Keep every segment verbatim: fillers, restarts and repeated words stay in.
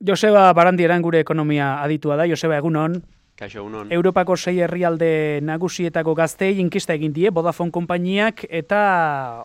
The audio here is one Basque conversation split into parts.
Joseba Barandieran gure ekonomia aditua da. Joseba, egunon. Kaixo, egunon. Europako sei herrialde nagusietako gazteei inkista egin die Vodafone konpainiak eta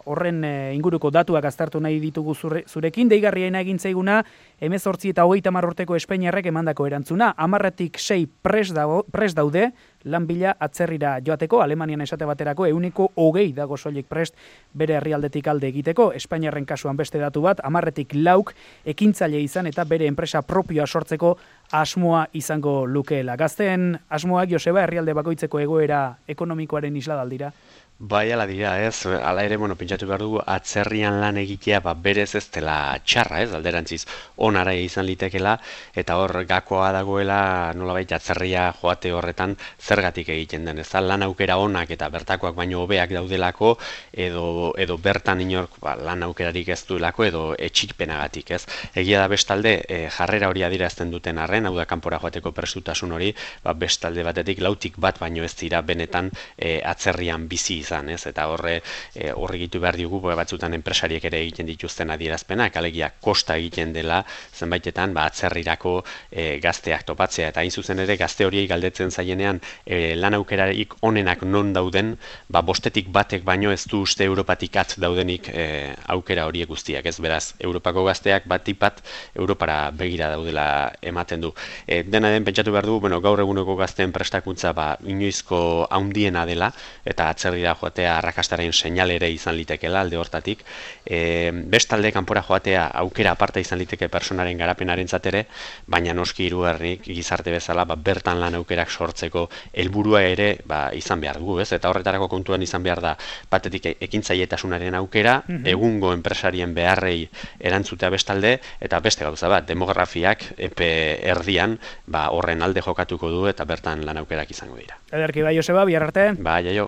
horren inguruko datuak aztertu nahi ditugu zure, zurekin. Deigarriena egin zaiguna hemezortzi eta hogeita hamar urteko Espainiarrek emandako erantzuna. Hamarretik sei pres daude lan bila atzerrira joateko, Alemanian esate baterako ehuneko hogei dago soilik prest bere herrialdetik alde egiteko. Espainiarren kasuan beste datu bat, hamarretik lauk ekintzaile izan eta bere enpresa propioa sortzeko asmoa izango lukeela. Gazteen asmoak, Joseba, herrialde bakoitzeko egoera ekonomikoaren isladaldira? Bai, ala dira, ez, ala ere, bueno, pentsatu behar dugu, atzerrian lan egitea, ba, berez ez dela txarra, ez, alderantziz, onara izan litekela, eta hor gakoa dagoela, nolabait atzerria joate horretan zergatik egiten den, ez da, lan aukera onak eta bertakoak baino hobeak daudelako, edo, edo bertan inork ba, lan aukerarik ez duelako, edo etxikpenagatik, ez. Egia da bestalde, e, jarrera hori adierazten duten arren, hau da kanpora joateko prestutasun hori, ba, bestalde batetik lautik bat baino ez dira benetan e, atzerrian bizi izan, ez? Eta horre e, horre gitu behar diogu batzutan enpresariek ere egiten dituzten adierazpenak, alegia kosta egiten dela zenbaitetan ba, atzerrirako e, gazteak topatzea, eta hain zuzen ere gazte horiei galdetzen zaienean e, lan aukerarik onenak non dauden, ba, bostetik batek baino ez du uste Europatik at daudenik e, aukera horiek guztiak, ez beraz, Europako gazteak batipat Europara begira daudela ematen du. E, dena den pentsatu behar du, bueno, gaur eguneko gazteen prestakuntza ba, inoizko haundiena dela, eta atzerrira joatea arrakastaren seinal ere izan litekela alde hortatik. E, bestalde kanpora joatea aukera aparta izan liteke personaren garapenaren zatere, baina noski hirugarrenik gizarte bezala ba, bertan lan aukerak sortzeko helburua ere ba, izan behar dugu, ez? Eta horretarako kontuan izan behar da batetik ekintzailetasunaren aukera, mm-hmm. egungo enpresarien beharrei erantzutea bestalde, eta beste gauza bat, demografiak epe erdian ba, horren alde jokatuko du eta bertan lan aukerak izango dira. Ederki bai, Joseba, bihar arte. Bai, jaio.